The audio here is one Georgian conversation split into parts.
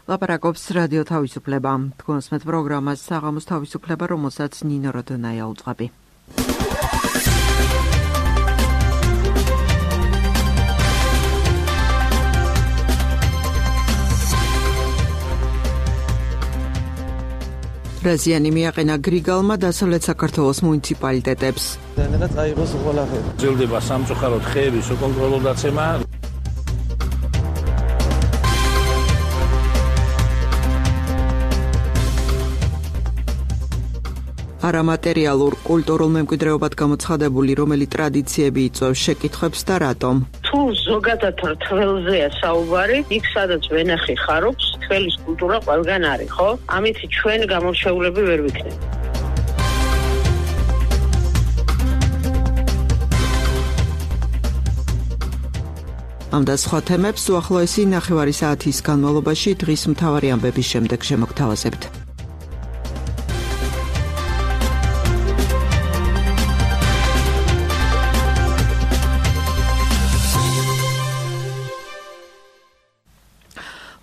ლაპარაკობს რადიო თავისუფლება. თქვენს მეტ პროგრამას საღამოს თავისუფლება, რომელსაც ნინო როდონაია უძღვები. რაზიანი მიაყენა გრიგალმა დასავლეთ საქართველოს მუნიციპალიტეტებს. გრძელდება სამწუხაროდ ხეების უკონტროლო დაცემა. არამატერიალურ კულტურულ მემკვიდრეობად გამოცხადებული რომელი ტრადიციები იწვევს შეკითხვებს და რატომ? თუ ზოგადად თველზეა საუბარი, იქ სადაც ვენახი ხარობს, თველის კულტურა ყველგან არის, ხო? ამით ჩვენ გამორჩეულები ვერ ვიქნებით. ამ და სხვა თემებს უახლოესი ნახევარი საათის განმავლობაში დღის მთავარი ამბების შემდეგ შემოგთავაზებთ.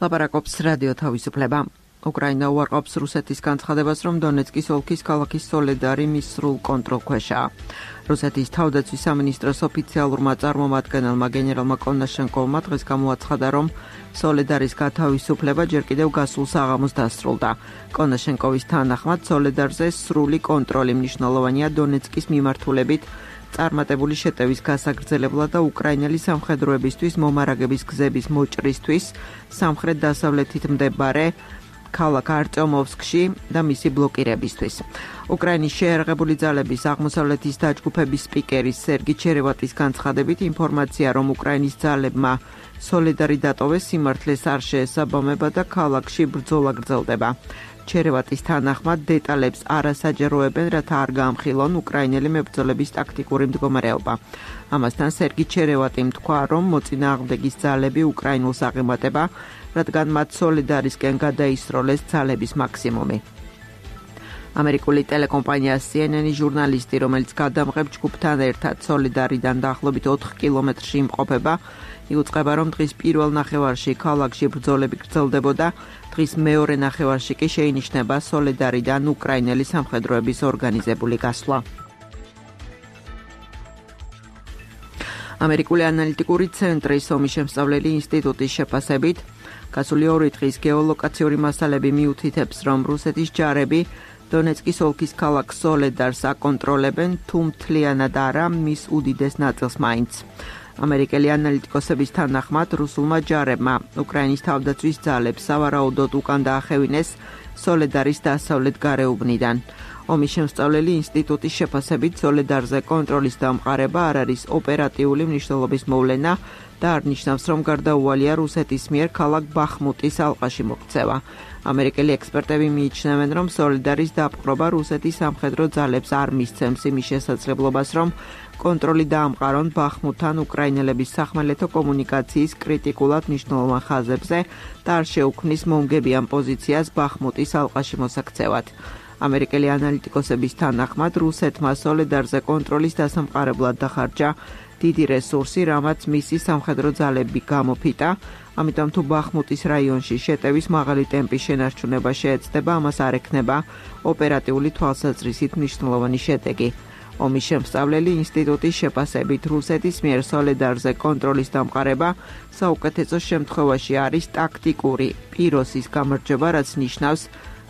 ლაპარაკობს რადიო თავისუფლება. უკრაინა უარყოფს რუსეთის განცხადებას, რომ დონეცკის ოლქის ქალაქის სოლედარი მის სრულ კონტროლქვეშაა. რუსეთის თავდაცვის სამინისტროს ოფიციალურმა წარმომადგენელმა გენერალმა კონაშენკოვმა დღეს გამოაცხადა, რომ სოლედარის გათავისუფლება ჯერ კიდევ გასულ საღამოს დასრულდა. კონაშენკოვის თანახმად, სოლედარზე სრული კონტროლი მნიშვნელოვანია დონეცკის მიმართულებით წარმატებული შეტევის გასაგრძელებლად და უკრაინელი სამხედროებისთვის მომარაგების გზების მოჭრისთვის სამხრეთ-დასავლეთით მდებარე ქალაქ არტემოვსკში და მისი ბლოკირებისთვის. უკრაინის შეერაღებული ძალების აღმოსავლეთის დაჯგუფების სპიკერის სერგი ჩერევატის განცხადებით ინფორმაცია, რომ უკრაინის ძალებმა სოლედარი დატოვეს, სიმართლეს არ შეესაბამება და ქალაქში ბრძოლა გრძელდება. ჩერევატის თანახმად დეტალებს არ ასაჯეროებენ, რათა არ გაამხილონ უკრაინელი მებრძოლების ტაქტიკური მდგომარეობა. ამასთან სერგი ჩერევატიმ თქვა, რომ მოწინააღმდეგის ძალები უკრაინულს აღემატება, რადგან მათ სოლედარისკენ გადაისროლეს ძალების მაქსიმუმი. ამერიკული ტელეკომპანია CNN-ის ჟურნალისტი, რომელიც გადამღებ ჯგუფთან ერთად სოლედარიდან დაახლოებით 4 კილომეტრში იმყოფება, იუწყება, რომ დღის პირველ ნახევარში ქალაქში ბრძოლები გრძელდებოდა, დღის მეორე ნახევარში კი შეინიშნება სოლედარიდან უკრაინელი სამხედროების ორგანიზებული გასვლა. ამერიკული ანალიტიკური ცენტრის ომის შემსწავლელი ინსტიტუტის შეფასებით, გასული 2 დღის გეოლოკაციური მასალები მიუთითებს, რომ რუსეთის ჯარები დონეცკის ოლქის ქალაქ სოლედარს აკონტროლებენ, თუ მთლიანად არა მის უდიდეს ნაწილს მაინც. ამერიკელი ანალიტიკოსების თანახმად, რუსულმა ჯარებმა უკრაინის თავდაცვის ძალებს სავარაუდოდ უკან დაახევინეს სოლედარის დასავლეთ გარეუბნიდან. ომის შემსწავლელი ინსტიტუტის შეფასებით, სოლედარზე კონტროლის დამყარება არ არის ოპერატიული მნიშვნელობის მოვლენა და არ ნიშნავს, რომ გარდაუვალია რუსეთის მიერ ქალაქ ბახმუტის ალყაში მოქცევა. ამერიკელი ექსპერტები მიიჩნევენ, რომ სოლედარის დაპყრობა რუსეთის სამხედრო ძალებს არ მისცემს იმის შესაძლებლობას, რომ კონტროლი დაამყარონ ბახმუტთან უკრაინელების სახმელეთო კომუნიკაციის კრიტიკულად მნიშვნელოვან ხაზებზე და არ შეუქმნის მომგებიან პოზიციას ბახმუტის ალყაში მოსაქცევად. ამერიკელი ანალიტიკოსების თანახმად, რუსეთმა სოლედარზე კონტროლის დასამყარებლად დახარჯა დიდი რესურსი, რამაც მისი სამხედრო ძალები გამოფიტა, ამიტომ თუ ბახმუტის რაიონში შეტევის მაღალი ტემპის შენარჩუნება შეეცდება, ამას არ ექნება ოპერატიული თვალსაზრისით მნიშვნელოვანი შედეგი. ომის შემსწავლელი ინსტიტუტის შეფასებით, რუსეთის მიერ სოლედარზე კონტროლის დამყარება საუკეთესო შემთხვევაში არის ტაქტიკური პიროსის გამარჯვება, რაც ნიშნავს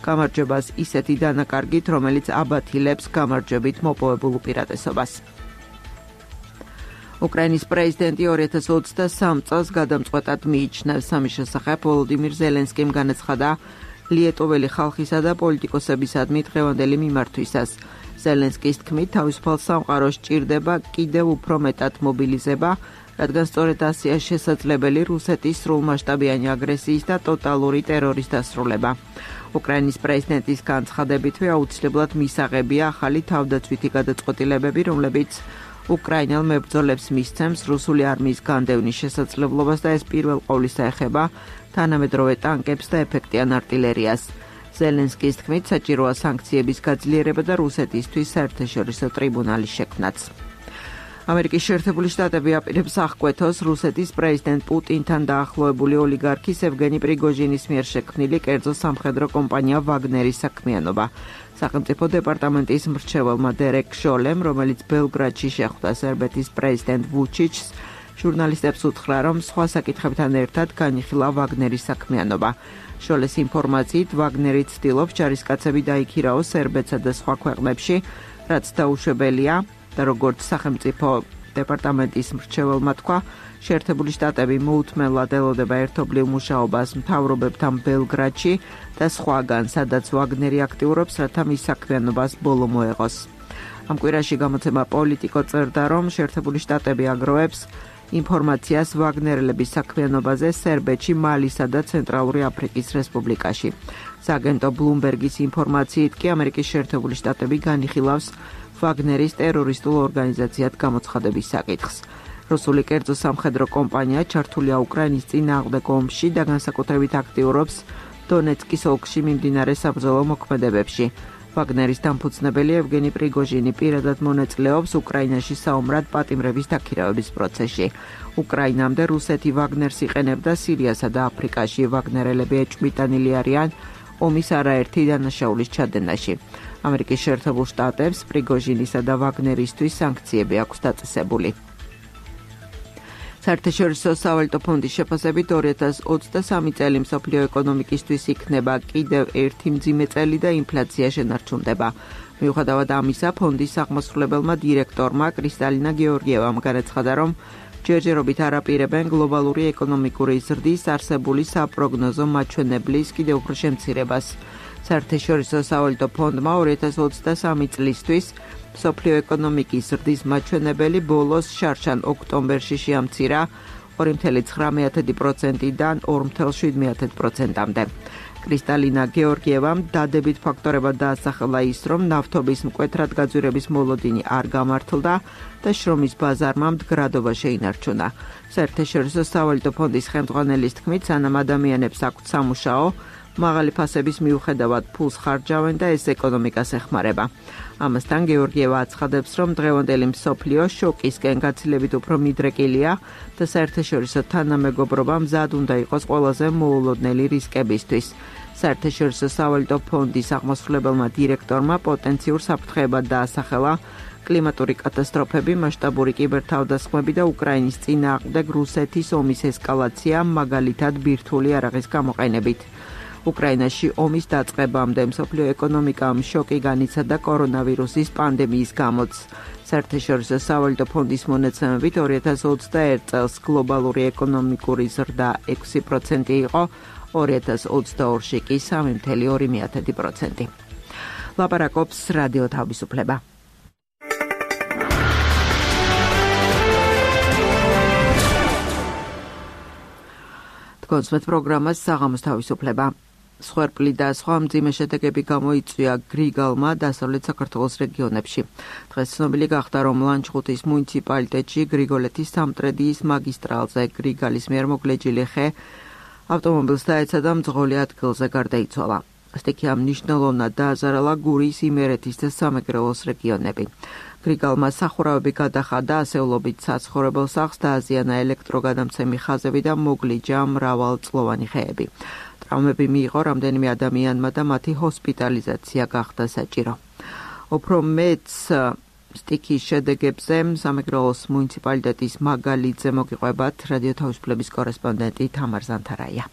გამარჯვებას ისეთი დანაკარგით, რომელიც აბათილებს გამარჯვებით მოპოვებულ უპირატესობას. უკრაინის პრეზიდენტი 2023 წელს გადამწყვეტად მიიჩნევს. ამის შესახებ ვოლოდიმირ ზელენსკიმ განაცხადა ლიეტოველი ხალხისა და პოლიტიკოსებისადმი დღევანდელი მიმართვისას. ზელენსკის თქმით, თავისუფალ სამყაროს ჭირდება კიდევ უფრო მეტად მობილიზება, რადგან სწორედ ასეა შესაძლებელი რუსეთის სრულმასშტაბიანი აგრესიის და ტოტალური ტერორის დასრულება. უკრაინის პრეზიდენტის განცხადებითვე აუცილებლად მისაღებია ახალი თავდაცვითი გადაწყვეტილებები, რომლებიც უკრაინელ მებრძოლებს მისცემს რუსული არმიის განდევნის შესაძლებლობას და ეს პირველ ყოვლისა ეხება თანამედროვე ტანკებს და ეფექტიან არტილერიას. ზელენსკის თქმით, საჭიროა სანქციების გაძლიერება და რუსეთისთვის საერთაშორისო ტრიბუნალის შექმნაც. ამერიკის შეერთებული შტატები აპირებს აღკვეთოს რუსეთის პრეზიდენტ პუტინთან დაახლოებული ოლიგარქის ევგენი პრიგოჟინის მიერ შექმნილი კერძო სამხედრო კომპანია ვაგნერის საქმიანობა. სახელმწიფო დეპარტამენტის მრჩეველმა დერეკ შოლემ, რომელიც ბელგრადში შეხვდა სერბეთის პრეზიდენტ ვუჩიჩს, ჟურნალისტებს უთხრა, რომ სხვა საკითხებთან ერთად განიხილა ვაგნერის საქმიანობა. შოლეს ინფორმაციით, ვაგნერი ცდილობს ჯარისკაცები დაიქირაოს სერბეთსა და სხვა ქვეყნებში, რაც დაუშვებელია და როგორც სახელმწიფო დეპარტამენტის მრჩეველმა თქვა, შეერთებული შტატები მოუთმენლად ელოდება ერთობლივ მუშაობას მთავრობებთან ბელგრადში და სხვაგან, სადაც ვაგნერი აქტიურობს, რათა მის საქმიანობას ბოლო მოეღოს. ამ კვირაში გამოცემა პოლიტიკო წერდა, რომ შეერთებული შტატები აგროვებს ინფორმაციას ვაგნერელების საქმიანობაზე სერბეთში, მალისა და ცენტრალური აფრიკის რესპუბლიკაში. სააგენტო ბლუმბერგის ინფორმაციით კი ამერიკის შეერთებული შტატები განიხილავს ვაგნერის ტერორისტულ ორგანიზაციად გამოცხადების საკითხს. რუსული კერძო სამხედრო კომპანია ჩართულია უკრაინის წინააღმდეგ ომში და განსაკუთრებით აქტიურობს დონეცკის ოლქში მიმდინარე საბრძოლო მოქმედებებში. ვაგნერის დამფუძნებელი ევგენი პრიგოჟინი პირადად მონაწილეობს უკრაინაში საომრად პატიმრების დაქირავების პროცესში. უკრაინამდე რუსეთი ვაგნერს იყენებდა სირიასა და აფრიკაში. ვაგნერელები ეჭვმიტანილი არიან ომის არაერთი დანაშაულის ჩადენაში. ამერიკის შეერთებულ შტატებს პრიგოჟინისა და ვაგნერისთვის სანქციები აქვს დაწესებული. საერთაშორისო სავალუტო ფონდის შეფასებით 2023 წელი მსოფლიო ეკონომიკისთვის იქნება კიდევ ერთი მძიმე წელი და ინფლაცია შენარჩუნდება. მიუხედავად ამისა, ფონდის აღმასრულებელმა დირექტორმა კრისტალინა გეორგიევამ განაცხადა, რომ ჯერჯერობით არ აპირებენ გლობალური ეკონომიკური ზრდის არსებული საპროგნოზო მაჩვენებლის კიდევ უფრო შემცირებას. საერთაშორისო სავალუტო ფონდმა 2023 წლისთვის მსოფლიო ეკონომიკის ზრდის მაჩვენებელი ბოლოს შარშან ოქტომბერში შეამცირა 2,9%-დან 2,7%-მდე. კრისტალინა გეორგიევამ დადებით ფაქტორებად დაასახელა ის, რომ ნავთობის მკვეთრად გაძვირების მოლოდინი არ გამართლდა და შრომის ბაზარმა მდგრადობა შეინარჩუნა. საერთაშორისო სავალუტო ფონდის ხელმძღვანელის თქმით, სანამ ადამიანებს აქვთ სამუშაო, მაღალი ფასების მიუხედავად ფულს ხარჯავენ და ეს ეკონომიკას ეხმარება. ამასთან გეორგიევა აცხადებს, რომ დღევანდელი მსოფლიო შოკისკენ გაცილებით უფრო მიდრეკილია და საერთაშორისო თანამეგობრობა მზად უნდა იყოს ყველაზე მოულოდნელი რისკებისთვის. საერთაშორისო სავალუტო ფონდის აღმასრულებელმა დირექტორმა პოტენციურ საფრთხეებად დაასახელა კლიმატური კატასტროფები, მასშტაბური კიბერთავდასხმები და უკრაინის წინააღმდეგ რუსეთის ომის ესკალაცია, მაგალითად ბირთვული იარაღის გამოყენებით. უკრაინაში ომის დაწყებამდე მსოფლიო ეკონომიკამ შოკი განიცადა კორონავირუსის პანდემიის გამოც. საერთაშორისო სავალუტო ფონდის მონაცემებით 2021 წელს გლობალური ეკონომიკური ზრდა 6% იყო, 2022-ში კი 3,2%. ლაპარაკობს რადიო თავისუფლება. კონსვეთ პროგრამას საღამოს თავისუფლება. სხვერპლი და სხვა მძიმე შედეგები გამოიწვია გრიგალმა დასავლეთ საქართველოს რეგიონებში. დღეს ცნობილი გახდა, რომ ლანჩხუთის მუნიციპალიტეტში გრიგოლეთის სამტრედიის მაგისტრალზე გრიგალის მიერ მოგლეჯილი ხე ავტომობილს დაეცა და მძღოლი ადგილზე გარდაიცვალა. სტიქიამ მნიშვნელოვნად დააზარალა გურიის, იმერეთის და სამეგრელოს რეგიონები. გრიგალმა სახურავები გადახადა, ასეულობით საცხოვრებელ სახლს დააზიანა ელექტროგადამცემი ხაზები და მოგლიჯა მრავალწლოვანი ხეები. ტრავმები მიიღო რამდენიმე ადამიანმა და მათი ჰოსპიტალიზაცია გახდა საჭირო. უფრო მეც სტიქის შედეგებზე სამეგრელოს მუნიციპალიტეტის მაგალიძე მოგიყვებათ რადიო თავისუფლების კორესპონდენტი თამარ ზანთარაია.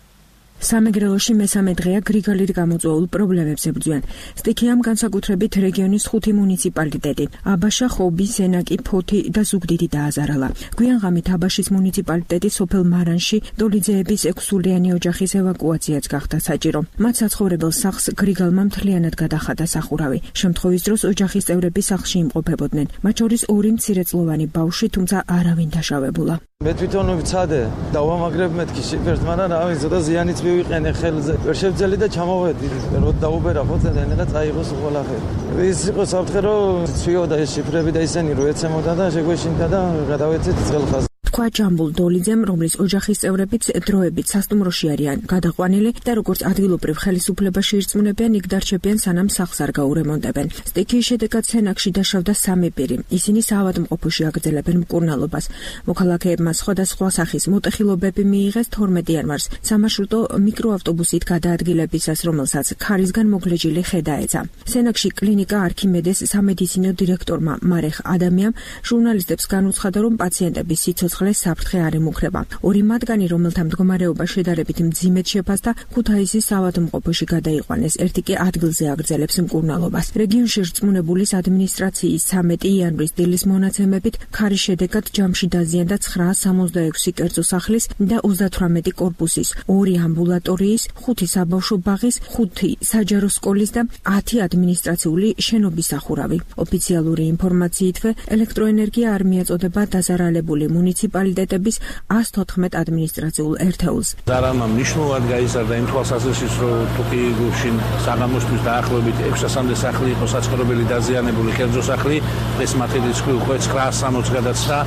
სამეგრელოში მესამე დღეა გრიგალით გამოწვეულ პრობლემებს ებრძვიან. სტიქიამ განსაკუთრებით რეგიონის 5 მუნიციპალიტეტი, აბაშა, ხობი, სენაკი, ფოთი და ზუგდიდი დააზარალა. გვიან ღამით აბაშის მუნიციპალიტეტის სოფელ მარანში დოლიძეების 6-სულიანი ოჯახის ევაკუაციაც გახდა საჭირო. მათ საცხოვრებელ სახლს გრიგალმა მთლიანად გადახადა სახურავი. შემთხვევის დროს ოჯახის წევრები სახლში იმყოფებოდნენ. მათ შორის 2 მცირეწლოვანი ბავშვი, თუმცა არავინ დაშავებულა. მე თვითონ ვიცადე და ვამაგრებ მეთქი შიფერს, მაგრამ რავი, ზოდა ზიანიც მივიყენე ხელზე. ვერ შევძელი და ჩამოვედი. რო დაუბერა ხო ზენიღა წაიღოს ყველაფერი. ის იყო საფრთხე, რომ ცვიოდა ეს შიფრები და ისენი რო ეცემოდა და შეგვეშინდა და გადავეცეთ ძღელხას. თქვა ჯამბულ დოლიძემ, რომლის ოჯახის წევრებიც დროებით სასტუმროში არიან გადაყვანილი და როგორც ადგილობრივ ხელისუფლებაში ირწმუნებიან, იქ დარჩებიან სანამ სახლს არ გაურემონტებენ. სტიქიის შედეგად სენაკში დაშავდა 3 პირი. ისინი საავადმყოფოში აგრძელებენ მკურნალობას. მოქალაქეებმა სხვადასხვა სახის მოტეხილობები მიიღეს 12 იანვარს სამარშრუტო მიკროავტობუსით გადაადგილებისას, რომელსაც ქარისგან მოგლეჯილი ხე დაეცა. სენაკში კლინიკა არქიმედეს სამედიცინო დირექტორმა მარეხ ადამიანამ ჟურნალისტებს განუცხადა, რომ პაციენტების სიცოცხლე საფრთხე არ ემუქრება. 2 მათგანი, რომელთა მდგომარეობა შედარებით მძიმედ შეფასდა, ქუთაისის საავადმყოფოში გადაიყვანეს. ერთი კი ადგილზე აგრძელებს მკურნალობას. რეგიონში რწმუნებულის ადმინისტრაციის 13 იანვრის დილის მონაცემებით ქარის შედეგად ჯამში დაზიანდა 966 კერძო სახლის და 38 კორპუსის, 2 ამბულატორიის, 5 საბავშვო ბაღის, 5 საჯარო სკოლის და 10 ადმინისტრაციული შენობის სახურავი. ოფიციალური ინფორმაციითვე ელექტროენერგია არ მიეწოდება დაზარალებული მუნიციპალიტეტების 114 ადმინისტრაციულ ერთეულს. ზარალმა მნიშვნელოვნად გაიზარდა იმ თვალსაზრისით, რომ თუკი გუშინ საღამოსთვის დაახლოებით 600-მდე სახლი იყო საცხოვრებელი დაზიანებული კერძო სახლი, ეს მათი რიცხვი უკვე 960 გადაწყდა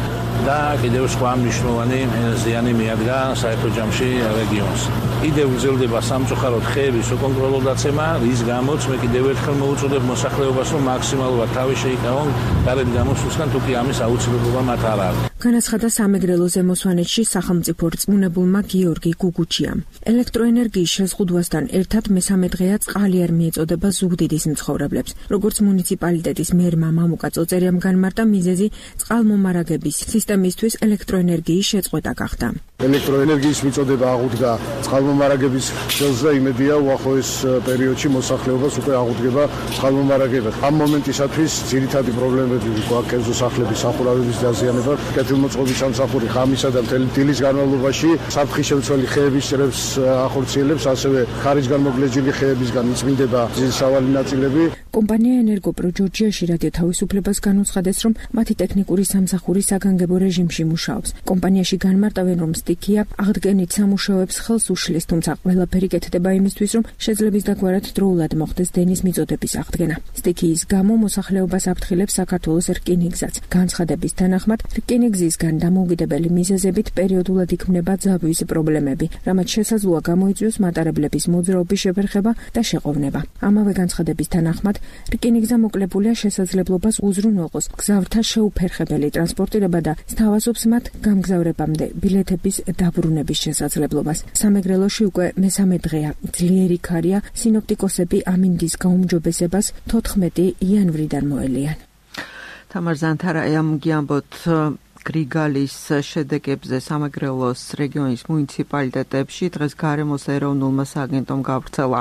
და კიდევ სხვა მნიშვნელოვანი ზიანი მიადგა საერთო ჯამში რეგიონს. კიდევ გრძელდება სამწუხაროდ ხეების უკონტროლო დაცემა, რის გამოც მე კიდევ ერთხელ მოვუწოდებ მოსახლეობას, რომ მაქსიმალურად თავი შეიკავონ გარეთ გამოსვლისგან, თუკი ამის აუცილებლობა მათ არ არის. განაცხადა სამეგრელო ზემოსვანეთში სახელმწიფო რწმუნებულმა გიორგი გუგუჩიამ. ელექტროენერგიის შეზღუდვასთან ერთად მესამე დღეა წყალი არ მიეწოდება ზუგდიდის მცხოვრებლებს. როგორც მუნიციპალიტეტის მერმა მამუკა წოწერიამ განმარტა, მიზეზი წყალმომარაგების სისტემისთვის ელექტროენერგიის შეწყვეტა გახდა. ელექტროენერგიის მიწოდება აღუდგა წყალმომარაგების ხელს და იმედია უახლოეს პერიოდში მოსახლეობას უკვე აღუდგება წყალმომარაგება. ამ მომენტისათვის ძირითადი პრობლემები გვაქვს კერძო სახლების სახურავების დაზიანება, კეთილმოწყობის სამსახური ღამისა და მთელი დილის განმავლობაში საფრთხის შემცველი ხეების ჭრებს ახორციელებს, ასევე ქარისგან მოგლეჯილი ხეებისგან იწმინდება სავალი ნაწილები. კომპანია ენერგოპრო ჯორჯიაში რადიო თავისუფლებას განუცხადეს, რომ მათი ტექნიკური სამსახური საგანგებო რეჟიმში მუშაობს. კომპანიაში განმარტავენ, რომ სტიქია აღდგენით სამუშაოებს ხელს უშლის, თუმცა ყველაფერი კეთდება იმისთვის, რომ შეძლების დაგვარად დროულად მოხდეს დენის მიწოდების აღდგენა. სტიქიის გამო მოსახლეობას აფრთხილებს საქართველოს რკინიგზაც. განცხადების თანახმად, რკინიგზისგან დამოუკიდებელი მიზეზებით პერიოდულად იქმნება ძაბვის პრობლემები, რამაც შესაძლოა გამოიწვიოს მატარებლების მოძრაობის შეფერხება და შეყოვნება. ამავე განცხადების თანახმად, რკინიგზა მოკლებულია შესაძლებლობას უზრუნველყოს გზავრთა შეუფერხებელი ტრანსპორტირება და სთავაზობს მათ გამგზავრებამდე ბილეთების დაბრუნების შესაძლებლობას. სამეგრელოში უკვე მესამე დღეა ძლიერი ქარია, სინოპტიკოსები ამინდის გაუმჯობესებას 14 იანვრიდან მოელიან. თამარ ზანთარაიამ გიამბოთ გრიგალის შედეგებზე სამეგრელოს რეგიონის მუნიციპალიტეტებში დღეს გარემოს ეროვნულმა სააგენტომ გავრცელა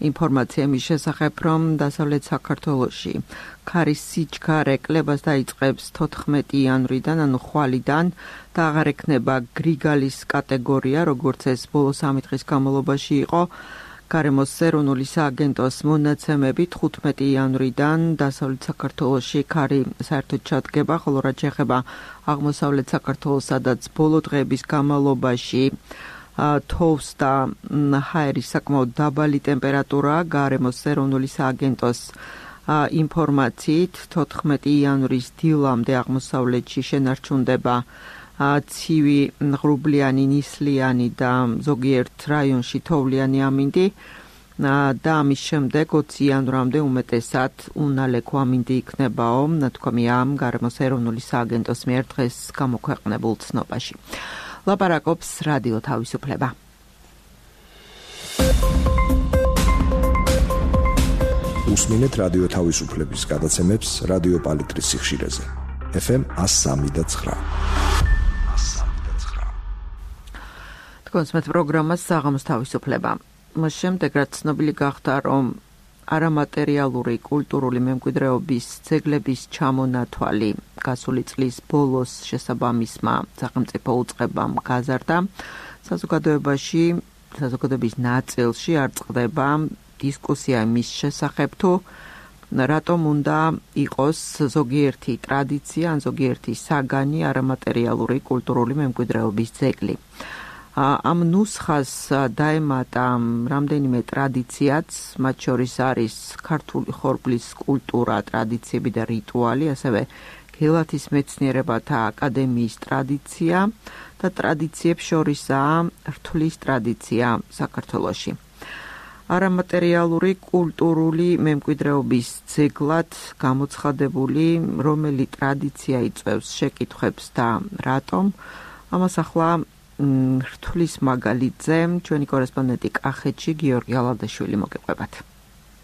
ინფორმაცია მის შესახებ, რომ დასავლეთ საქართველოში ქარის სიჩქარე კლებას დაიწყებს 14 იანვრიდან, ანუ ხვალიდან და აღარ ექნება გრიგალის კატეგორია, როგორც ეს ბოლო 3 დღის განმავლობაში იყო. გარემოს ეროვნული სააგენტოს მონაცემებით 15 იანვრიდან დასავლეთ საქართველოში ქარი საერთოდ ჩადგება, ხოლო რაც შეეხება აღმოსავლეთ საქართველოს, სადაც ბოლო დღეების განმავლობაში თოვს და ჰაერის საკმაოდ დაბალი ტემპერატურა, გარემოს ეროვნული სააგენტოს ინფორმაციით 14 იანვრის დილამდე აღმოსავლეთში შენარჩუნდება ცივი ღრუბლიანი, ნისლიანი და ზოგიერთ რაიონში თოვლიანი ამინდი და ამის შემდეგ 20 იანვრამდე უმეტესად უნალექო ამინდი იქნებაო, ნათქვამია გარემოს ეროვნული სააგენტოს მიერ დღეს გამოქვეყნებულ ცნობაში. ლაპარაკობს რადიო თავისუფლება. უსმინეთ რადიო თავისუფლების გადაცემებს რადიო პალიტრის სიხშირეზე. FM 103.9. თქვენს პროგრამას საღამოს თავისუფლება. მას შემდეგ რაც ცნობილი გახდა, რომ არამატერიალური კულტურული მემკვიდრეობის ძეგლების ჩამონათვალი გასული წლის ბოლოს შესაბამისმა სახელმწიფო უწყებამ გაზარდა, საზოგადოების ნაწილში არ წყდება დისკუსია მის შესახებ, თუ რატომ უნდა იყოს ზოგიერთი ტრადიცია ან ზოგიერთი საგანი არამატერიალური კულტურული მემკვიდრეობის ძეგლი. ამ ნუსხას დაემატა რამდენიმე ტრადიციაც, მათ შორის არის ქართული ხორბლის კულტურა, ტრადიციები და რიტუალი, ასევე გელათის მეცნიერებათა აკადემიის ტრადიცია და ტრადიციებს შორისაა რთვლის ტრადიცია საქართველოში. არამატერიალური კულტურული მემკვიდრეობის ძეგლად გამოცხადებული რომელი ტრადიცია იწვევს შეკითხვებს და რატომ? ამას ახლა რთვლის მაგალითზე ჩვენი კორესპონდენტი კახეთში გიორგი ალადაშვილი მოგეყვებათ.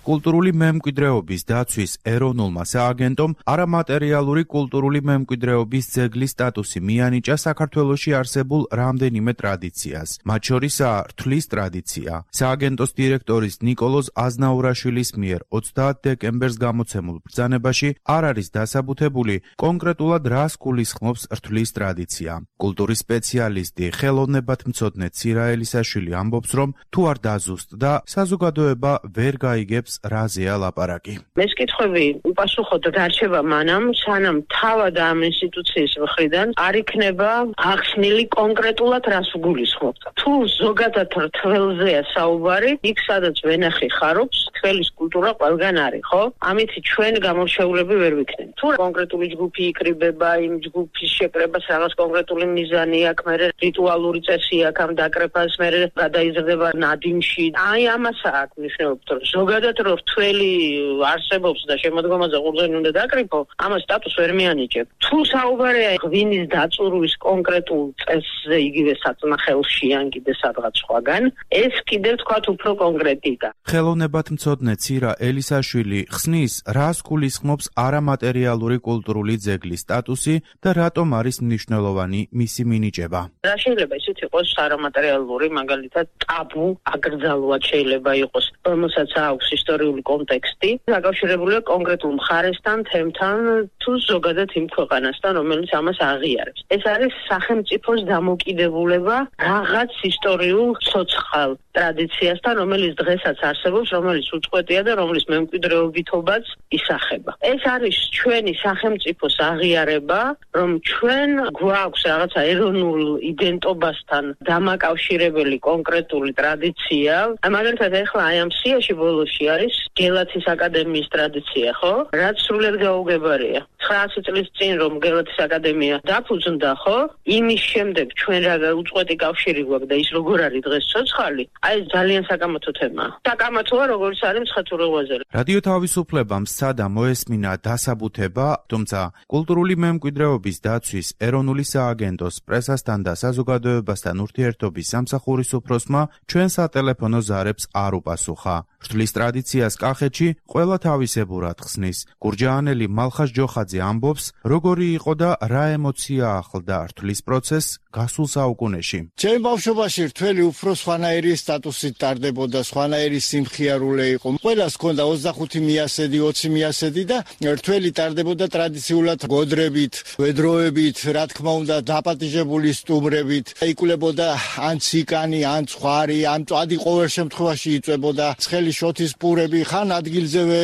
კულტურული მემკვიდრეობის დაცვის ეროვნულმა სააგენტომ არამატერიალური კულტურული მემკვიდრეობის ძეგლის სტატუსი მიანიჭა საქართველოში არსებულ რამდენიმე ტრადიციას, მათ შორისაა რთვლის ტრადიცია. სააგენტოს დირექტორის ნიკოლოზ აზნაურაშვილის მიერ 30 დეკემბერს გამოცემულ ბრძანებაში არ არის დასაბუთებული კონკრეტულად რას გულისხმობს რთვლის ტრადიცია. კულტურის სპეციალისტი ხელოვნებათმცოდნე ცირა ელისაშვილი ამბობს, რომ თუ არ დაზუსტდა, საზოგადოება ვერ გაიგებს რაზეა ლაპარაკი. მესკითხვები უპასუხოდ დარჩება მანამ, სანამ თავად ამ ინსტიტუციის მხრიდან არ იქნება ახსნილი კონკრეტულად რას გულისხმობთ. თუ ზოგადად რთველზეა საუბარი, იქ სადაც ვენახი ხარობს, თველის კულტურა ყველგან არის, ხო? ამით ჩვენ გამორჩეულები ვერ ვიქნებით. თუ კონკრეტული ჯგუფი იკრიბება, იმ ჯგუფის შეკრებას რაღაც კონკრეტული მიზანი აქვს, მერე რიტუალური წესი აქვს ამ დაკრებას, მერე გადაიზრდება ნადიმში. აი ამასაა აქ მნიშვნელობა, რომ ზოგადად რთველი არსებობს და შემოდგომაზე ყურძენი უნდა დაკრიფო, ამას სტატუს ვერ მიანიჭებ. თუ საუბარია ღვინის დაწურვის კონკრეტულ წესზე იგივე საწნახელში ან კიდე სადღაც სხვაგან, ეს კიდევ თქვათ უფრო კონკრეტიკა. ხელოვნებათმცოდნე ცირა ელისაშვილი ხსნის, რას გულისხმობს არამატერიალური კულტურული ძეგლის სტატუსი და რატომ არის მნიშვნელოვანი მისი მინიჭება. რა შეიძლება ისიც იყოს არამატერიალური, მაგალითად ტაბუ, აკრძალვად შეიძლება იყოს, რომელსაც აქვს ისტორიული კონტექსტი, დაკავშირებულია კონკრეტულ მხარესთან, თემთან, თუ ზოგადად იმ ქვეყანასთან, რომელიც ამას აღიარებს. ეს არის სახელმწიფოს დამოკიდებულება რაღაც ისტორიულ ცოცხალ ტრადიციასთან, რომელიც დღესაც არსებობს, რომელიც უწყვეტია და რომლის მემკვიდრეობითობაც ისახება. ეს არის ჩვენი სახელმწიფოს აღიარება, რომ ჩვენ გვაქვს რაღაცა ეროვნულ იდენტობასთან დამაკავშირებელი კონკრეტული ტრადიცია. მაგალითად, ახლა აი ამ სიაში ბოლოში არის გელათის აკადემიის ტრადიცია, ხო? რაც სრულად გაუგებარია. 900 წლის წინ რომ გელათის აკადემია დაფუძნდა, ხო? იმის შემდეგ ჩვენ რა უწყვეტი კავშირი გვაქვს და ის როგორ არის დღეს ცოცხალი, აი ეს ძალიან საკამათო თემაა. საკამათოა როგორც არის მცხეთურობაზე. რადიო თავისუფლებამ სცადა მოესმინა დასაბუთება, თუმცა კულტურული მემკვიდრეობის დაცვის ეროვნული სააგენტოს პრესასთან და საზოგადოებასთან ურთიერთობის სამსახურის უფროსმა ჩვენ სატელეფონო ზარებს არ უპასუხა. რთვლის ტრადიციას კახეთში ყველა თავისებურად ხსნის. გურჯაანელი მალხაზ ჯოხაძე ამბობს, როგორი იყო და რა ემოცია ახლდა რთვლის პროცესს გასულ საუკუნეში. ჩემ ბავშვობაში რთველი უფრო სხვანაირი სტატუსით ტარდებოდა, სხვანაირი სიმხიარულე იყო. ყველას ჰქონდა 25 მიასედი, 20 მიასედი და რთველი ტარდებოდა ტრადიციულად გოდრებით, ვედროებით, რა თქმა უნდა, დაპატიჟებული სტუმრებით. იკულებოდა ან ციკანი, ან ცხვარი, ან მწვადი ყოველ შემთხვევაში იწვებოდა. ცხელი შოთის პურები, ხან ადგილზევე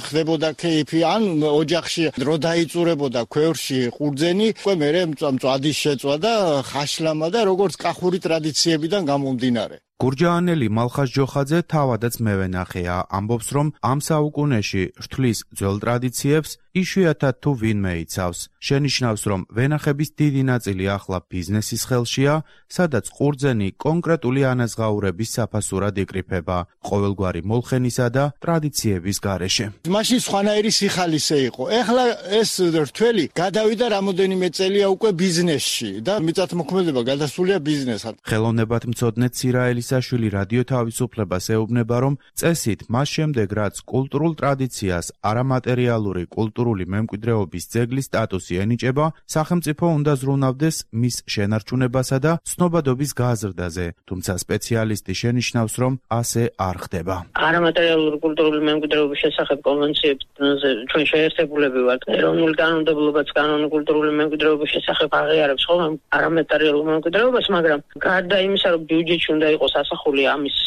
ხდებოდა კეიფი, ან ოჯახში დრო დაიწურებოდა ქვევრში ყურძენი, უკვე მერე მწვადის შეწვა და ხაშლამა და როგორც კახური ტრადიციებიდან გამომდინარე. გურჯაანელი მალხაზ ჯოხაძე თავადაც მევენახეა, ამბობს, რომ ამ საუკუნეში რთვლის ძველ ტრადიციებს იშვიათად თუ ვინმე იცავს. შენიშნავს, რომ ვენახების დიდი ნაწილი ახლა ბიზნესის ხელშია, სადაც ყურძენი კონკრეტული ანაზღაურების საფასურად იკრიფება, ყოველგვარი მოლხენისა და ტრადიციების გარეშე. მაშინ სხვანაირი სიხალისე იყო. ეხლა ეს რთველი გადავიდა რამოდენიმე წელია უკვე ბიზნესში და მიწათმოქმედება გადასულია ბიზნესად. ხელოვნებათმცოდნე ცირა ელისაშვილი რადიო თავისუფლებას ეუბნება, რომ წესით მას შემდეგ, რაც კულტურულ ტრადიციას არამატერიალური კულტურული მემკვიდრეობის ძეგლის სტატუსი ენიჭება, სახელმწიფო უნდა ზრუნავდეს მის შენარჩუნებასა და ცნობადობის გაზრდაზე, თუმცა სპეციალისტი შენიშნავს, რომ ასე არ ხდება. არამატერიალური კულტურული მემკვიდრეობის შესახებ კონვენციებზე ჩვენ შეერთებულები ვართ. ეროვნული კანონმდებლობაც კანონი კულტურული მემკვიდრეობის შესახებ აღიარებს ხოლმე არამატერიალურ მემკვიდრეობას, მაგრამ გარდა იმისა, რომ ბიუჯეტში უნდა იყოს ასახული ამის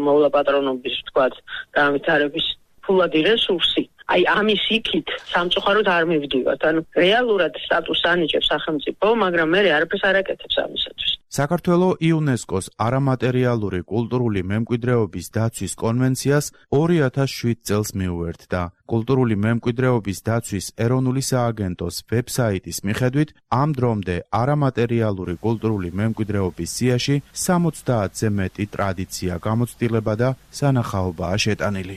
მოვლა პატრონობის, თქვათ, განვითარების ფულადი რესურსი. აი ამის იქით სამწუხაროდ არ მივდივართ. ანუ რეალურად სტატუსს ანიჭებს სახელმწიფო, მაგრამ მე არაფერს არ აკეთებს ამისათვის. საქართველოს იუნესკოს არამატერიალური კულტურული მემკვიდრეობის დაცვის კონვენციას 2007 წელს მიუერთდა. კულტურული მემკვიდრეობის დაცვის ეროვნული სააგენტოს ვებსაიტის მიხედვით, ამ დრომდე არამატერიალური კულტურული მემკვიდრეობის სიაში 70-ზე მეტი ტრადიცია, გამოცდილება და სანახაობაა შეტანილი.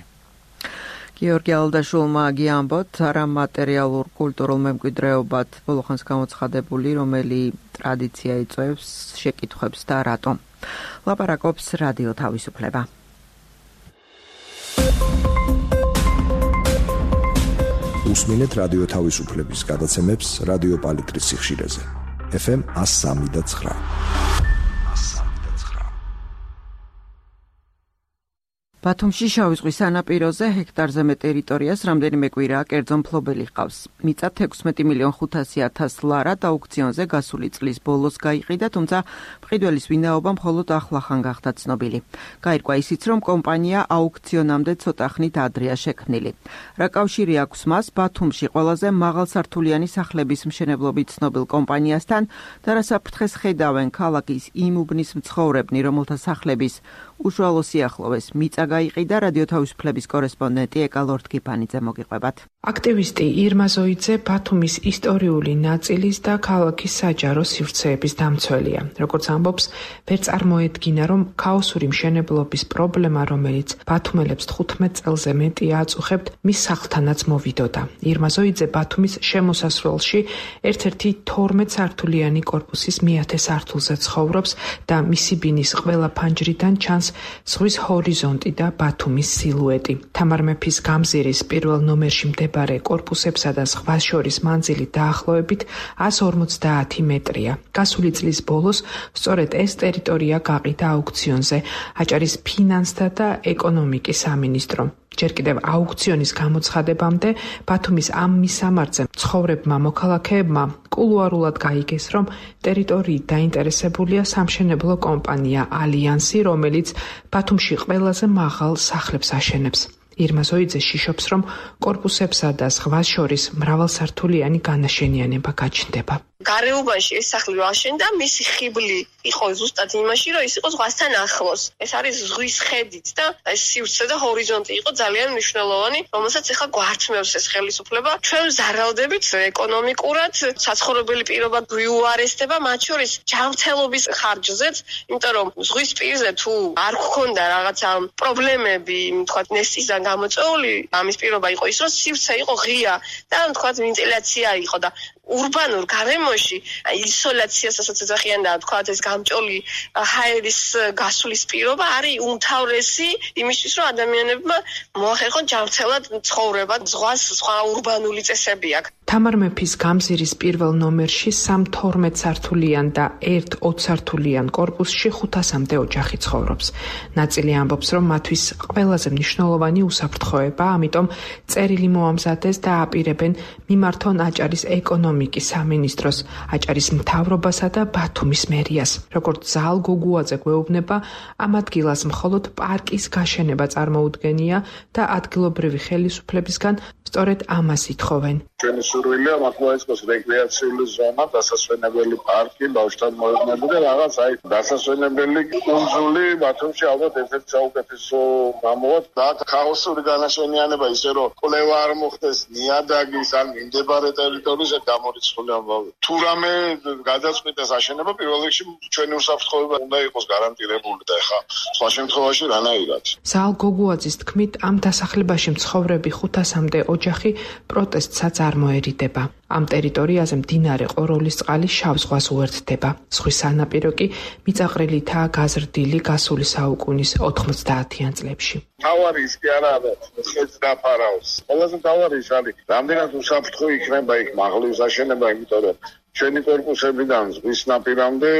გიორგი ალდაშულმა გიამბოთ არამატერიალურ კულტურულ მემკვიდრეობად ბოლოხანს გამოცხადებული, რომელი ტრადიცია იწვევს, შეკითხვებს და რატომ. ლაპარაკობს რადიო თავისუფლება. უსმინეთ რადიო თავისუფლების გადაცემებს რადიო პალიტრის სიხშირეზე. FM 103.9. ბათუმში შავი ზღვის სანაპიროზე ჰექტარზე მეტ ტერიტორიას რამდენიმე კვირაა კერძო მფლობელი ჰყავს. მიწა 16,500,000 ლარად აუქციონზე გასული წლის ბოლოს გაიყიდა, თუმცა მყიდველის ვინაობა მხოლოდ ახლახან გახდა ცნობილი. გაირკვა ისიც, რომ კომპანია აუქციონამდე ცოტა ხნით ადრეა შექმნილი. რა კავშირი აქვს მას ბათუმში ყველაზე მაღალსართულიანი სახლების მშენებლობით ცნობილ კომპანიასთან და რა საფრთხეს ხედავენ ქალაქის იმ უბნის მცხოვრებნი, რომელთა სახლების უშუალო სიახლოვეს მიწა გაიყიდა, რადიო თავისუფლების კორესპონდენტი ეკალორთკიფანიძე მოგიყვებათ. აქტივისტი ირმა ზოიძე ბათუმის ისტორიული ნაწილის და ქალაქის საჯარო სივრცეების დამცველია. როგორც ამბობს, ვერ წარმოედგინა, რომ ქაოსური მშენებლობის პრობლემა, რომელიც ბათუმელებს 15 წელზე მეტი აწუხებთ, მის სახლთანაც მოვიდოდა. ირმა ზოიძე ბათუმის შემოსასვლელში ერთ-ერთი 12 სართულიანი კორპუსის მე-10 სართულზე ცხოვრობს და მისი ბინის ყველა ფანჯრიდან ჩანს ზღვის ჰორიზონტი და ბათუმის სილუეტი. თამარ მეფის გამზირის პირველ ნომერში მდებარე კორპუსებსა და ზღვას შორის მანძილი დაახლოებით 150 მეტრია. გასული წლის ბოლოს სწორედ ეს ტერიტორია გაყიდა აუქციონზე აჭარის ფინანსთა და ეკონომიკის სამინისტრომ. ჯერ კიდევ აუქციონის გამოცხადებამდე ბათუმის ამ მისამართზე მცხოვრებმა მოქალაქეებმა კულუარულად გაიგეს, რომ ტერიტორიით დაინტერესებულია სამშენებლო კომპანია ალიანსი, რომელიც ბათუმში ყველაზე მაღალ სახლებს აშენებს. ირმა ზოიძე შიშობს, რომ კორპუსებსა და ზღვას შორის მრავალსართულიანი განაშენიანება გაჩნდება. გარეუბანში ეს სახლი აშენდა, მისი ხიბლი იყო ზუსტად იმაში, რომ ის იყო ზღვასთან ახლოს. ეს არის ზღვის ხედით და ეს სივრცე და ჰორიზონტი იყო ძალიან მნიშვნელოვანი, რომელსაც ახლა გვართმევს ეს ხელისუფლება. ჩვენ ზარალდებით ეკონომიკურად, საცხოვრებელი პირობა გვიუარესდება, მათ შორის ჯანმრთელობის ხარჯზეც, იმიტომ რომ ზღვის პირზე თუ არ გქონდა რაღაცა პრობლემები, თქვათ ნესტისგან გამოწვეული, ამის პირობა იყო ის, რომ სივრცე იყო ღია და თქვათ ვენტილაცია იყო და ურბანურ გარემოში ისოლაციას ასაც ეძახიან და თქვათ ეს გამჭოლი ჰაერის გასulis პირობა არის უმთავრესი იმისთვის, რომ ადამიანებმა მოახერხონ ჯანმრთელად ცხოვრება, ზღვას სხვა ურბანული წესები აქვს. თამარ მეფის გამზირის პირველ ნომერში 3-12 სართულიან და 1-20 სართულიან კორპუსში 500-მდე ოჯახი ცხოვრობს. ნაწილი ამბობს, რომ მათთვის ყველაზე მნიშვნელოვანი უსაფრთხოება, ამიტომ წერილი მოამზადეს და აპირებენ მიმართონ აჭარის ეკონომიკის სამინისტროს, აჭარის მთავრობასა და ბათუმის მერიას. როგორც ზალ გოგუაძე გვეუბნება, ამ ადგილას მხოლოდ პარკის გაშენება წარმოუდგენია და ადგილობრივი ხელისუფლებისგან სწორედ ამას ითხოვენ. ჩვენი სურვილია მართლაც რეკრეაციული ზონა, დასასვენებელი პარკი, ბავშვთან მოედნები და რაღაც აი დასასვენებელი კუნძული ბათუმში ალბათ ერთ-ერთი საუკეთესო გამოვა და ქაოსური განაშენიანება ისე რომ კვლევა არ მოხდეს ნიადაგის ან მიმდებარე ტერიტორიაზე გამორიცხული ამბავი. თუ რამე გადაწყვიტეს აშენება, პირველ რიგში ჩვენი უსაფრთხოება უნდა იყოს გარანტირებული და ეხა სხვა შემთხვევაში რანაირად. ზალ გოგუაძის თქმით, ამ დასახლებაში მცხოვრები 500-მდე ოჯახი პროტესტსაც არ მოერიდება. ამ ტერიტორიაზე მდინარე ყოროლის წყალი შავ ზღვას უერთდება. ზღვის სანაპირო კი მიწაყრილითაა გაზრდილი გასული საუკუნის 90-იან წლებში. თავარი ის კი არა, ხეთს დაფარავს. ყველაზე თავარი ის არის, რამდენად უსაფრთხო იქნება იქ მაღლის აშენება, იმიტომ რომ ჩვენი კორპუსებიდან ზღვის ნაპირამდე,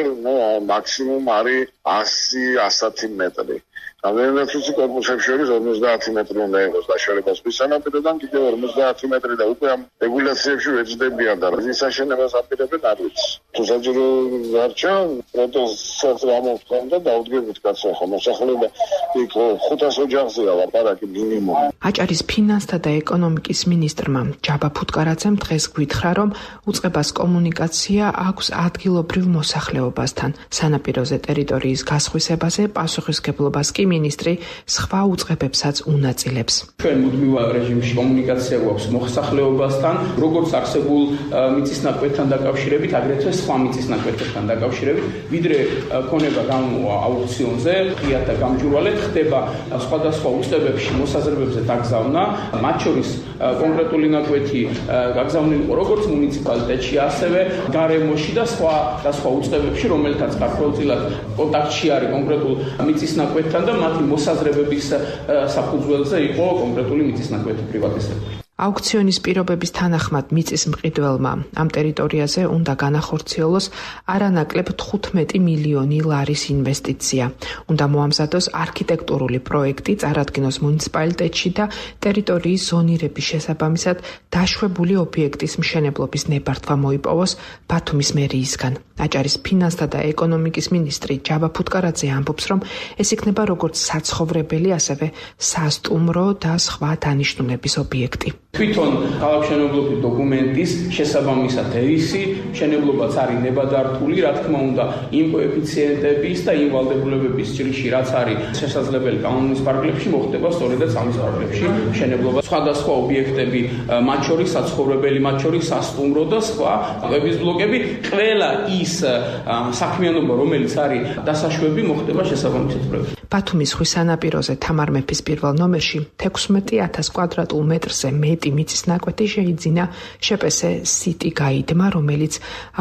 მაქსიმუმ არის 100-110 მეტრი. რამდენად უცი კორპუსებს შორის 50 მეტრი უნდა იყოს დაშორება ზღვის სანაპიროდან, კიდევ 50 მეტრი და უკვე ამ რეგულაციებში ვეძებიან და ის აშენებას აპირებენ არ ვიცი. თუ საჯარო გარჩა, პროტესტს გამოვთქვამ და დავდგებით კაცო, ხო მოსახლეობა იქ 500 ოჯახზეა ლაპარაკი მინიმუმ. აჭარის ფინანსთა და ეკონომიკის მინისტრმა ჯაბა ფუტკარაძემ დღეს გვითხრა, რომ უწყებას კომუნიკაცია კომუნიკაცია აქვს ადგილობრივ მოსახლეობასთან. სანაპიროზე ტერიტორიის გასხვისებაზე პასუხისგებლობას კი მინისტრი სხვა უწყებებსაც უნაწილებს. ჩვენ მუდმივ რეჟიმში კომუნიკაცია გვაქვს მოსახლეობასთან, როგორც არსებულ მიწისნაკვეთთან დაკავშირებით, აგრეთვე სხვა მიწისნაკვეთებთან დაკავშირებით, ვიდრე ქონება აუქციონზე, ღიად და გამჭვირვალედ ხდება სხვადასხვა უწყებებში მოსაზრებებზე დაგზავნა, მათ შორის კონკრეტული ნაკვეთი გაგზავნილი იყო როგორც მუნიციპალიტეტში, ასევე გარემოში და სხვა უწყებებში, რომელთაც ქართველწილად კონტაქტში არის კონკრეტულ მიწისნაკვეთთან და მათი მოსაზრებების საფუძველზე იყო კონკრეტული მიწისნაკვეთი პრივატიზებული. აუქციონის პირობების თანახმად მიწის მყიდველმა ამ ტერიტორიაზე უნდა განახორციელოს არანაკლებ 15 მილიონი ლარის ინვესტიცია. უნდა მოამზადოს არქიტექტურული პროექტი, წარადგინოს მუნიციპალიტეტში და ტერიტორიის ზონირების შესაბამისად დაშვებული ობიექტის მშენებლობის ნებართვა მოიპოვოს ბათუმის მერიისგან. აჭარის ფინანსთა და ეკონომიკის მინისტრი ჯაბა ფუტკარაძე ამბობს, რომ ეს იქნება როგორც საცხოვრებელი, ასევე სასტუმრო და სხვა დანიშნულების ობიექტი. თვითონ ქალაქმშენებლობის დოკუმენტის შესაბამისად ერისი მშენებლობაც არის ნებადართული, რა თქმა უნდა, იმ კოეფიციენტების და იმ ვალდებულებების ჭრილში, რაც არის შესაძლებელი კანონის პარკლებში, მოხდება სწორედაც ამის პარკლებში მშენებლობა. სხვადასხვა ობიექტები, მათ შორის საცხოვრებელი, მათ შორის სასტუმრო და სხვა ყების ბლოკები, ყველა ის საქმიანობა, რომელიც არის დასაშვები, მოხდება შესაბამისად პროექტში. ბათუმის ზღვის სანაპიროზე თამარ მეფის პირველ ნომერში 16,000 კვადრატულ მეტრზე მეტი მიწის ნაკვეთი შეიძინა შპს City Guide-მა, რომელიც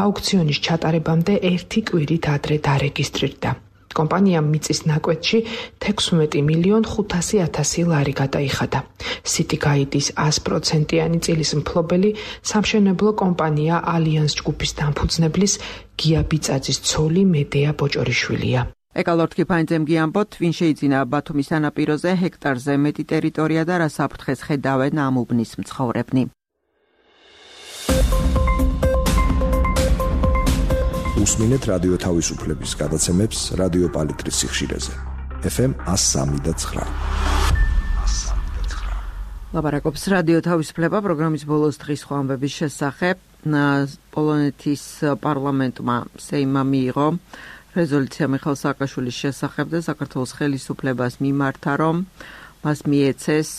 აუქციონის ჩატარებამდე 1 კვირით ადრე დარეგისტრირდა. კომპანიამ მიწის ნაკვეთში 16,500,000 ლარი გადაიხადა. City Guide-ის 100%-იანი წილის მფლობელი სამშენებლო კომპანია ალიანს ჯგუფის დამფუძნებლის გია ბიწაძის ცოლი მედეა ბოჭორიშვილია. ეკალორთკი ფაინძემ გიამბოთ, ვინ შეიძინა ბათუმის სანაპიროზე ჰექტარზე მეტი ტერიტორია და რა საფრთხეს ხედავენ ამ უბნის მცხოვრებნი. უსმინეთ რადიო თავისუფლების გადაცემებს რადიო პალიტრის სიხშირეზე. FM 103.9. ლაბარაკობს რადიო თავისუფლება პროგრამის ბოლოს დღის სხვა ამბების შესახებ. პოლონეთის პარლამენტმა სეიმმა მიიღო რეზოლუცია მიხეილ სააკაშვილის შესახებ და საქართველოს ხელისუფლებას მიმართა, რომ მას მიეცეს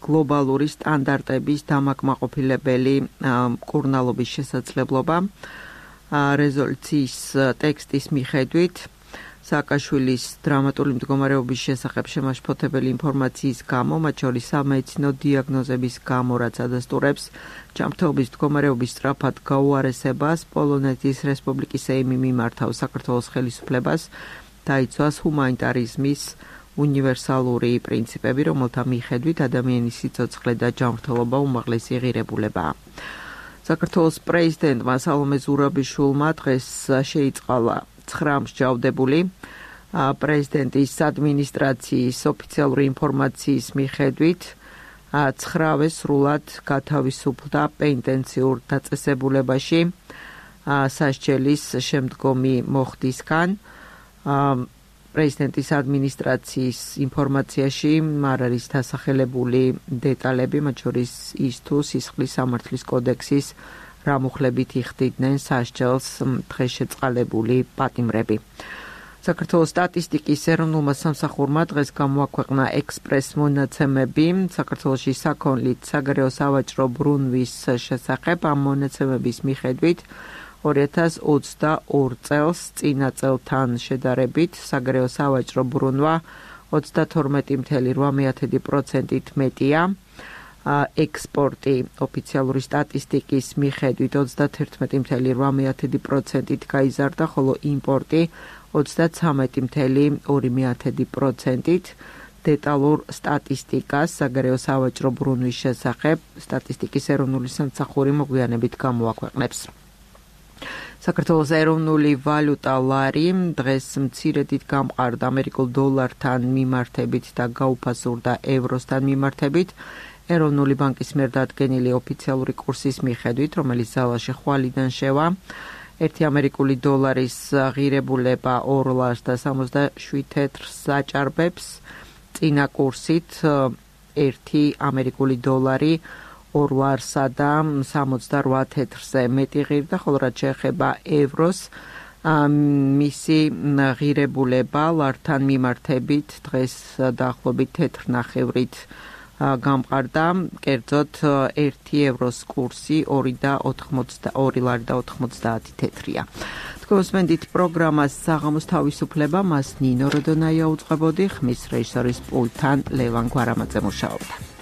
გლობალური სტანდარტების დამაკმაყოფილებელი მკურნალობის შესაძლებლობა. რეზოლუციის ტექსტის მიხედვით სააკაშვილის დრამატული მდგომარეობის შესახებ შემაშფოთებელი ინფორმაციის გამო, მათ შორის სამედიცინო დიაგნოზების გამო, რაც ადასტურებს ჯანმრთელობის მდგომარეობის სწრაფად გაუარესებას, პოლონეთის რესპუბლიკის სეიმი მიმართავს საქართველოს ხელისუფლებას დაიცვას ჰუმანიტარიზმის უნივერსალური პრინციპები, რომელთა მიხედვით ადამიანის სიცოცხლე და ჯანმრთელობა უმაღლესი ღირებულებაა. საქართველოს პრეზიდენტმა სალომე ზურაბიშვილმა დღეს შეიწყალა 9 მსჯავრდებული პრეზიდენტის ადმინისტრაციის ოფიციალური ინფორმაციის მიხედვით 9-ვე სრულად გათავისუფლდა პენტენციურ დაწესებულებაში სასჯელის შემდგომი მოხდისგან. პრეზიდენტის ადმინისტრაციის ინფორმაციაში არ არის დასახელებული დეტალები, მათ შორის ის თუ სისხლის სამართლის კოდექსის რა მუხლებით იხდიდნენ სასჯელს დღესშეწყალებული პატიმრები. საქართველოს სტატისტიკის ეროვნულმა სამსახურმა დღეს გამოაქვეყნა ექსპრეს მონაცემები საქართველოში საქონლით საგარეო სავაჭრო ბრუნვის შესახებ. ამ მონაცემების მიხედვით 2022 წელს წინა წელთან შედარებით საგარეო სავაჭრო ბრუნვა 32.8%-ით მეტია. ექსპორტი ოფიციალური სტატისტიკის მიხედვით 31.8%-ით გაიზარდა, ხოლო იმპორტი 33.2%-ით. დეტალურ სტატისტიკას საგარეო სავაჭრო ბრუნვის შესახებ სტატისტიკის ეროვნული სამსახური მოგვიანებით გამოაქვეყნებს. საქართველოს ეროვნული ვალუტა ლარი დღეს მცირედით გამყარდა ამერიკულ დოლართან მიმართებით და გაუფასურდა ევროსთან მიმართებით. ეროვნული ბანკის მიერ დადგენილი ოფიციალური კურსის მიხედვით, რომელიც ზავაში ხვალიდან შევა, 1 ამერიკული დოლარის ღირებულება 2.67 თეთრს აჭარბებს, წინა კურსით 1 ამერიკული დოლარი 2 ლარსა და 68 თეთრზე მეტი ღირდა, ხოლო რაც შეეხება ევროს მისი ღირებულება ლართან მიმართებით დღეს დაახლოებით თეთრ ნახევრით გამყარდა, კერძოდ 1 ევროს კურსი 2 ლარი და 90 თეთრია. თქვენ უსმენთ პროგრამას საღამოს თავისუფლება, მას ნინო როდონაია უძღვებოდი, ხმის რეჟისორის პულტთან ლევან გვარამაძე მუშაობდა.